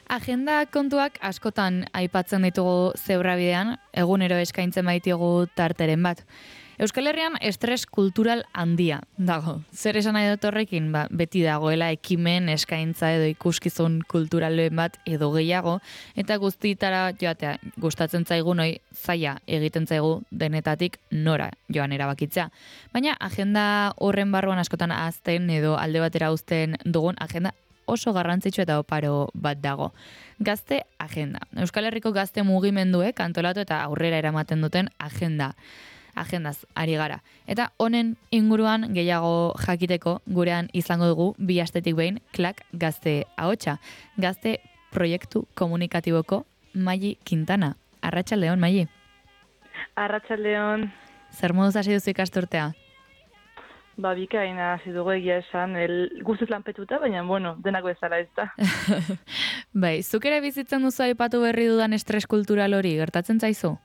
Agenda kontuak askotan aipatzen ditugu zebrabidean, egunero eskaintzen baitigu tarteren bat. Euskal Herrian estres kultural handia dago. Zer esan nahi dut horrekin? Beti dagoela ekimen, eskaintza edo ikuskizun kulturalen bat edo gehiago, eta guztietara joatea gustatzen zaigun hoi zaila egiten zaigu denetatik nora joan erabakitzea. Baina agenda horren barruan askotan ahazten edo alde batera uzten dugun agenda oso garrantzitsu eta oparo bat dago. Gazte agenda. Euskal Herriko gazte mugimenduek antolatu eta aurrera eramaten duten agenda. Agendaz ari gara. Eta honen inguruan gehiago jakiteko gurean izango dugu bi astetik behin klak gazte ahotsa. Gazte proiektu komunikatiboko Maili Quintana. Arratsaldeon, Maili. Arratsaldeon. Zer moduz hasi duzu ikasturtea? Bikaina hasi dugu egia esan, guztiz lanpetuta, baina, denak bezala ez da. Bai, zuk ere bizitzen duzu aipatu berri dudan estres kultural hori, gertatzen zaizu?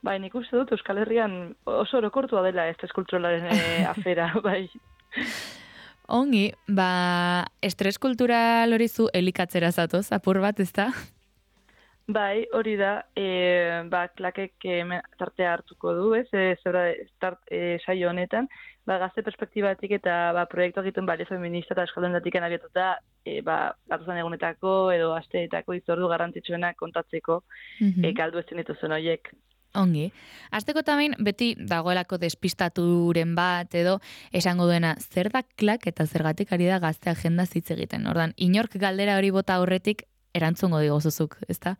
Bai, nik uste dut Euskal Herrian oso orokortua dela estres kulturalaren afera, bai. Ongi, estres kultural hori zu elikatzera zatoz, apur bat, ez da? Bai, hori da, klakek tartea hartuko du, ez, saio honetan, gazte perspektibatik eta proiektu egiten balio feminista eta euskaldunetik abiatuta, gatuzan egunetako edo asteetako itzordu garrantzitsuenak kontatzeko, galdu ezin dituzuen horiek. Ongi. Azteko tamen beti dagoelako despistaturen bat edo esango duena zer da klak eta zergatik ari da gazte agenda hitz egiten. Ordan, inork galdera hori bota aurretik erantzungo digozuzuk, ezta?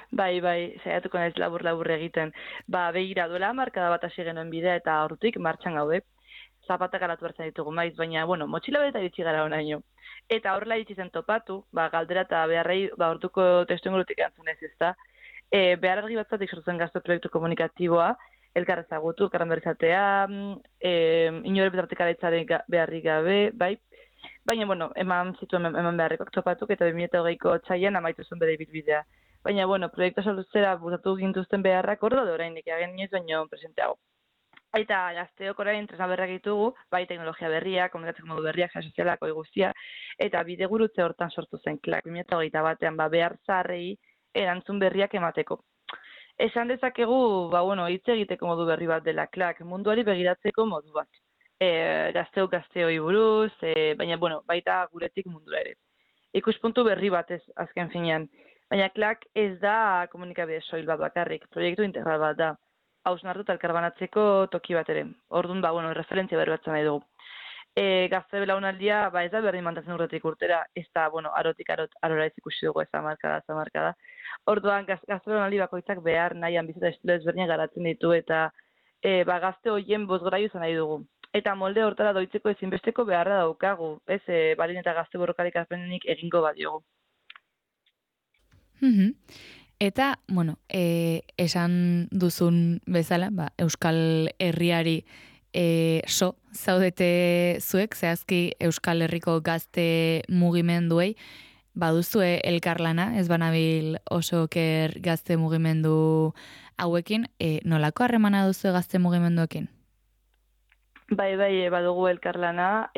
Bai, saiatuko naiz labur egiten. Begira duela markada bat hasi genuen bidea eta hortik martxan gaude. Zapatak alatu hartzen ditugu maiz, baina, motxila beta iritsi gara honaino. Eta horrela iritsi zen topatu, galdera eta beharrei, orduko testu ingurutik antzunez ezta. Behar argi batzatik sortzen gazte proiektu komunikatiboa, elkar ezagutu, elkarren berrizatea, inore betartik araitzaren beharrik gabe, bai. Baina, eman beharrikoak topatuk eta 2020ko otsailean amaitu zuen bere ibilbidea. Baina, proiektu soluzera butatu gintuzten beharrak hor da oraindik egin inoiz baino presenteago. Eta gazteok orain tresna berriak ditugu, bai teknologia berriak, komunikatzeko modu berriak, sare sozialak, guztia, eta bidegurutze hortan sortu zen klak 2021 batean behar zaharrei erantzun berriak emateko. Esan dezakegu, hitz egiteko modu berri bat dela klak, munduari begiratzeko modu bat. Gazteok gazteoi buruz, baina, baita guretik mundura ere. Ikuspuntu berri bat ez azken finean. Baina klak ez da komunikabide soil bat bakarrik, proiektu integral bat da. Hausnartu eta elkarbanatzeko toki bat ere. Orduan, referentzia berri batzen nahi dugu. Gazte belaunaldia, ez da berdin mantatzen urtetik urtera, ez da, arotik arora ez ikusi dugu ez amarkada. Orduan, gazte belaunaldi bakoitzak behar nahian bizita estilo ezberdinak garatzen ditu eta gazte horien bozgoraiu izan nahi dugu. Eta molde hortara doitzeko ezinbesteko beharra daukagu, ez balin eta gazte borrokalik azpenenik egingo badiogu. Eta, esan duzun bezala, Euskal Herriari zaudete zuek, zehazki Euskal Herriko gazte mugimenduei, baduzue elkarlana, ez banabil oso oker gazte mugimendu hauekin, nolako harremana duzue gazte mugimenduekin? Bai, badugu elkarlana,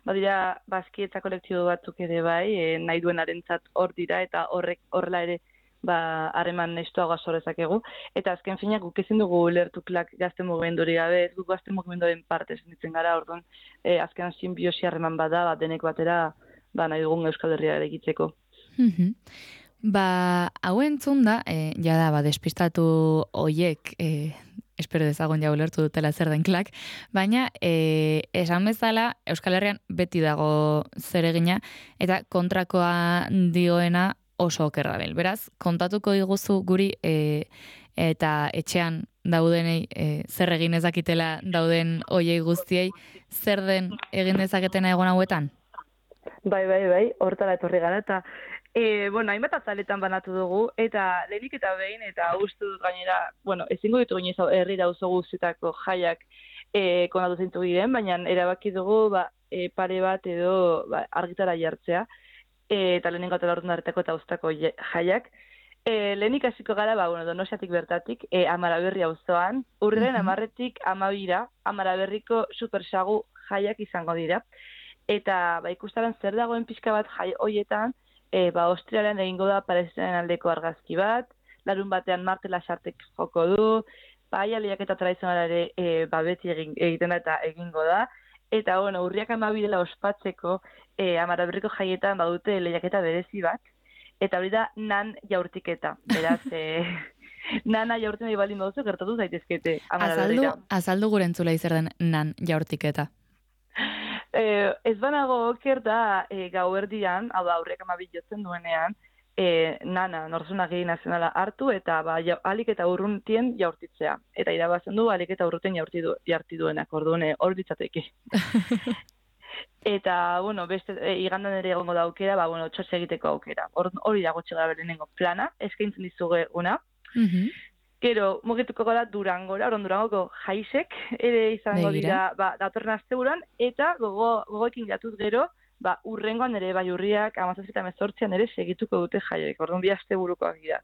badira bazkietza kolektibo batzuk ere bai, nahi duenarentzat hor dira eta horrela ere harreman estuagoa sorrezakegu. Eta azken finak guk ezin dugu lertu klak gazte mugimenduri gabe, ez guk gazte mugimenduaren parte zenditzen gara, orduan azken sinbiosi harreman bada, denek batera nahi dugun Euskal Herria egitzeko. Hau entzun da, jada, despistatu hoiek, espero dezagun ja ulertu dutela zer den klak, baina esan bezala Euskal Herrian beti dago zeregina eta kontrakoa dioena oso oker dabil. Beraz, kontatuko diguzu guri eta etxean daudenei zer egin ezakitela dauden hoiei guztiei, zer den egin dezaketena egon hauetan? Bai, hortara etorri gara eta hainbat azaletan banatu dugu, eta lehenik eta behin, eta uste dut gainera, ezingo ditu ginez herrira auzo guztietako jaiak konatu zintu diren, baina erabaki dugu pare bat edo argitara jartzea, eta lehenengo eta laurden darretako eta uztako jaiak. Lehenik hasiko gara, Donostiatik bertatik, Amaraberri auzoan, urriaren 10-tik 12-ra, Amaraberriko supersagu jaiak izango dira. Eta ikustaran zer dagoen pixka bat jai hoietan, Austrialen egingo da Palestinaren aldeko argazki bat, larun batean Marti Lasartek joko du, lehiaketa tradizionala ere beti egiten da eta egingo da, eta urriak 12 dela ospatzeko Amaraberriko jaietan badute lehiaketa berezi bat, eta hori da nan jaurtiketa, beraz, nana jaurtzen nahi baldin baduzu, gertatu zaitezkete Amaraberrira. Azaldu gure entzulei zer den nan jaurtiketa. Ez banago oker da gauerdian, hau da aurriak 12 jotzen duenean, nana, Nortasuna Agiri Nazionala hartu eta alik eta urruntien jaurtitzea. Eta irabazen du alik eta urrutien jaurti duenak, orduan hor ditzateke. Eta, beste, igandan ere egongo da aukera, txotxe egiteko aukera. Hori dago txegara berenengo plana, eskaintzen dizuge una. Gero, mugituko gara Durangora, Durangoko jaisek, ere izango dira, datorren asteburuan, eta gogoekin jatuz gero, urrengoan ere, urriak, 17-18 ere segituko dute jaioek, orduan 2 asteburukoak dira.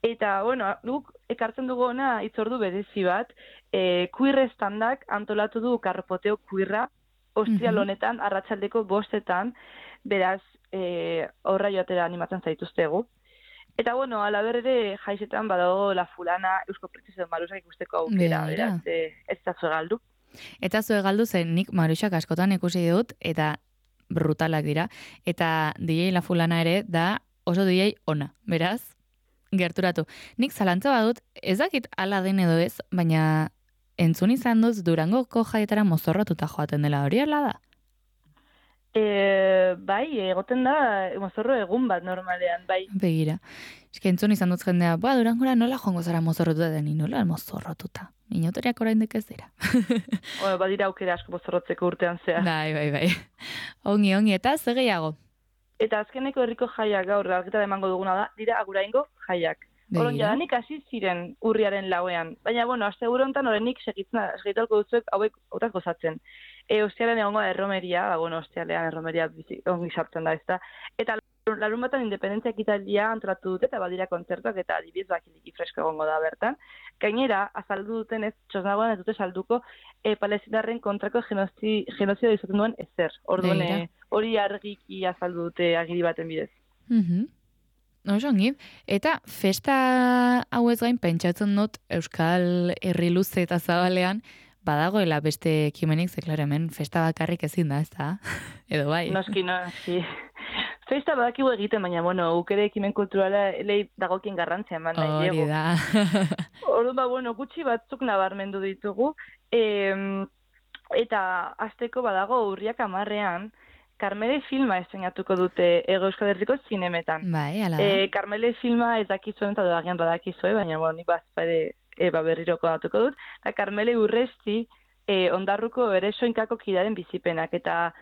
Eta, guk ekartzen dugu ona itzordu berezi bat, kuir estandak antolatu du karpoteo kuirra, ostiral honetan, arratsaldeko 5:00, beraz, horra joatera animatzen zaituztegu. Eta, alaber ere jaisetan badago La Fulana, Eusko Printzesen Marusak ikusteko aukera, beraz, ez da zue galdu. Eta zue galdu zen nik Marusak askotan ikusi dut, eta brutalak dira, eta DJ La Fulana ere da oso DJ ona, beraz, gerturatu. Nik zalantza badut, ez dakit ala den edo ez, baina entzun izan duz Durangoko jaietara mozorrotuta joaten dela, hori ala da? Bai, egoten da mozorro egun bat normalean, bai. Begira. Eske entzun izan dut jendea, Durangora nola joango zara mozorrotuta den, nola mozorrotuta. Inotoriak oraindik ez dira. Badira aukera asko mozorrotzeko urtean zea. Bai. Ongi, eta ze gehiago? Eta azkeneko herriko jaiak gaur algeta emango duguna da, dira Aguraingo jaiak. Horon jadanik hasi ziren urriaren 4ean. Baina, asteburu honetan horrenik segitalko duzuek hauek otaz gozatzen. Ostialean egongo da erromeria, ostialean erromeria ongi sartzen da, ezta. Eta larun batan independentzia ekitaldia antolatu dute, eta badira kontzertuak eta adibidez bakiliki fresko egongo da bertan. Gainera, azaldu duten ez, txosnagoan ez dute salduko palestinarren kontrako genozio izaten duen ezer. Orduan, hori argiki azaldu dute agiri baten bidez. Oso ongi. Eta festa hauez gain pentsatzen dut Euskal Herri luze eta zabalean badagoela beste ekimenik, ze klaro hemen festa bakarrik ezin da, ez da? Edo bai? Noski. Festa badakigu egiten, baina, ukere ekimen kulturala elei dagokien garrantzia eman nahi diego. Hori da. Orduan, gutxi batzuk nabarmendu ditugu, eta azteko badago urriak 10ean, Karmele filma estrenatuko dute Euskal Herriko zinemetan. Bai, ala da. Karmele filma ez dakizuen eta dagian badakizue, baina nik berriroko datuko dut. Eta Karmele Urresti ondarruko ere soinkako kidaren bizipenak, eta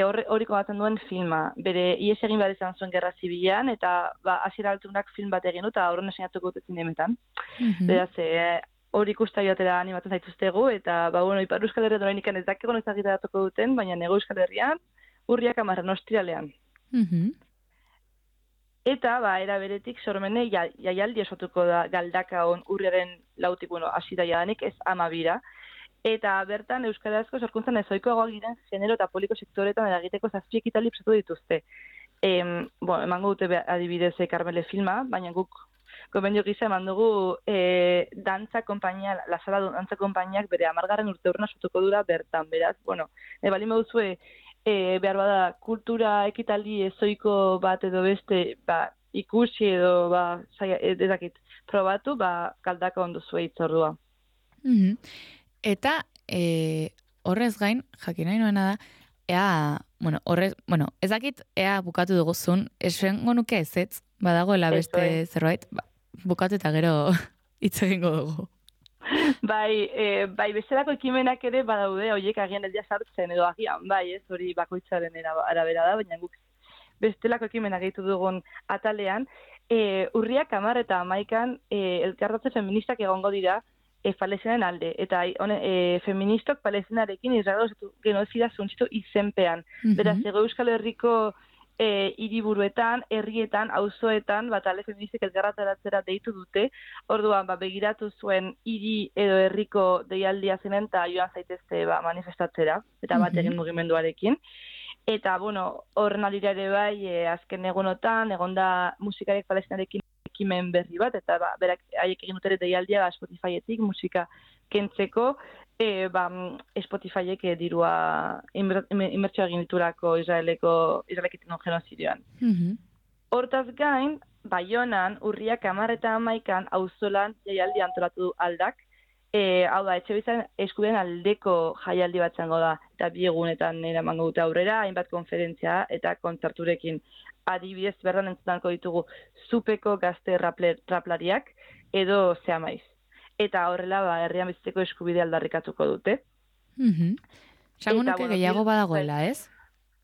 hori komatzen duen filma. Bere ies egin behar izan zuen gerra zibilean, eta hasiera altunak film bat egin dut, eta horren estrenatuko dute zinemetan. Beraz, hori ikusta joatera animatzen zaituztegu, eta Ipar Euskal Herrian oraindik ez dakigun ezagitaratuko duten, baina Hego Euskal Herrian urriak 10 ostiralean. Eta, era beretik, sormene jaialdi osatuko da Galdakaon urriaren 4-tik, hasi da jadanik, ez 12. Eta bertan euskarazko sorkuntzan ezoikoagoak diren genero eta poliko sektoretan eragiteko 7 ekitaldi prestatu dituzte. Emango dute adibidez Karmele filma, baina guk gomendio gisa eman dugu dantza konpainia, La Sala dantza konpainiak bere 10. urteurrena osatuko dura bertan, beraz, balin baduzue behar bada kultura ekitaldi ezoiko bat edo beste ikusi edo ezakit probatu, Galdaka ondo zue itzordua. Eta horrez gain, jakin nahi nuena da, ez dakit ea bukatu duguzun, esango nuke ezetz, badagoela beste zerbait, bukatu eta gero hitz egingo dugu. Bai, bestelako ekimenak ere badaude, horiek agian ez sartzen edo agian, ez hori bakoitzaren arabera da, baina guk bestelako ekimenak gehitu dugun atalean, urriak 10 eta 11 elkartatze feministak egongo dira Palestinaren alde, eta feministok Palestinarekin Israel genozida zuntzitu izenpean. Beraz, Hego Euskal Herriko hiriburuetan, herrietan, auzoetan, talde feministek elkarrataratzera deitu dute, orduan begiratu zuen hiri edo herriko deialdia zenen, eta joan zaitezte manifestatzera, eta bat egin mugimenduarekin. Eta, bueno, horren alira ere bai, azken egunotan, egonda musikarek palestinarekin ekimen berri bat, eta berak haiek egin dutera deialdia Spotifyetik musika kentzeko, Spotifyek dirua inbertsioa egin diturako Israelek egin genozidioan. Hortaz gain, Baionan, urriak 10 eta 11 auzolan jaialdi antolatu du aldak, hau da, etxebizan eskubideen aldeko jaialdi bat zango da, eta 2 egunetan eramango dute aurrera, hainbat konferentzia eta kontzerturekin. Adibidez, berran entzutanko ditugu Zupeko gazte raplariak edo Zeamaiz. Eta horrela, herrian bizitzeko eskubidea aldarrikatuko dute. Sango nuke gehiago badagoela, ez?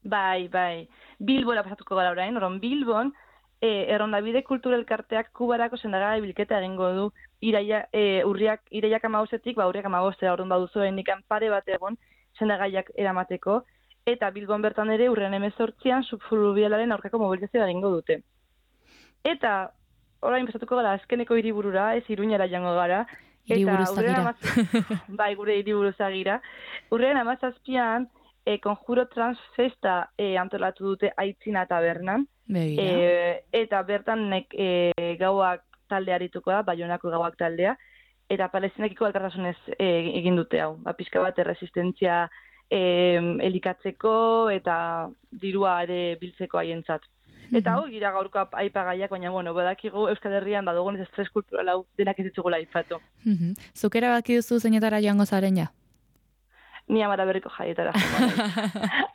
Bai. Bilbora pasatuko gara orain, oron Bilbon, Errondabide Kultura Elkarteak Kubarako sendagai bilketa egingo du iraiak 15etik, urriak 15 orduan baduzu indikan pare bat egon sendagaiak eramateko, eta Bilbon bertan ere urren 18an subfluvialaren aurkako mobilizazioa egingo dute. Eta orain pasatuko gara azkeneko hiriburura, ez Iruñara jango gara. Hiriburuzagira. Bai, gure hiriburuzagira. Urren 17an Konjuro Transfesta antolatu dute Aitzina tabernan. Eta bertan gauak taldea arituko da, Baionako gauak taldea, eta palestinekiko elkartasunez egin dute hau. Pixka bat erresistentzia elikatzeko eta dirua ere biltzeko haientzat. Eta hau gira gaurko aipagaiak, baina badakigu Euskal Herrian badugun ez estres kultural hau denak ez ditugula aipatu. Zuk erabaki duzu zeinetara joango zaren ja? Ni Amara Berriko jaietara.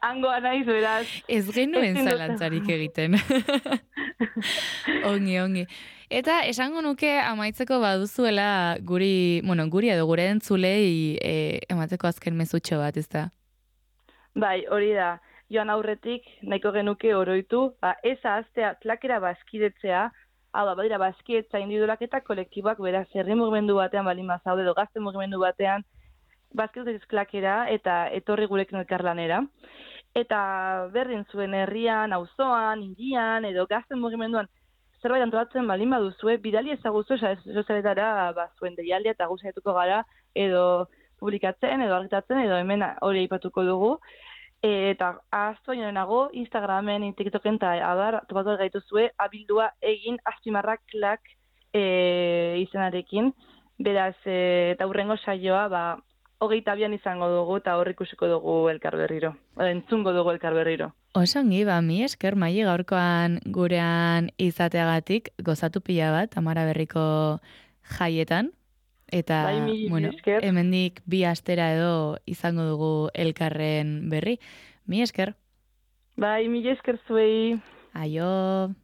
Hangoa naiz, beraz. Ez genuen zalantzarik egiten. Ongi. Eta esango nuke amaitzeko baduzuela guri edo gure entzulei emateko azken mezutxo bat, ez da? Bai, hori da. Joan aurretik, nahiko genuke oroitu, ez ahaztea klakera bazkidetzea, badira bazkidetza individualak eta kolektiboak, beraz, herri mugimendu batean balin bazaude, edo gazte mugimendu batean, bazkidetza klakera eta etorri gurekin elkarlanera. Eta berdin zuen herrian, auzoan, hirian, edo gazte mugimenduan, zerbait antolatzen balin baduzue, bidali ezaguzu, sozialetara zuen deialdia eta guztietuko gara, edo publikatzen, edo argitatzen, edo hemen hori aipatuko dugu. Eta ahaztu nago Instagramen, TikToken eta topatu gaituzue abildua egin azpimarraklak izenarekin. Beraz, eta hurrengo saioa, 22an izango dugu eta hor ikusiko dugu elkar berriro. Entzungo dugu elkar berriro. Osongi, mi esker Maili gaurkoan gurean izateagatik gozatu pila bat Amara Berriko jaietan. Eta, hemendik 2 astera edo izango dugu elkarren berri. Mi esker. Bai, mi esker zuei. Aio.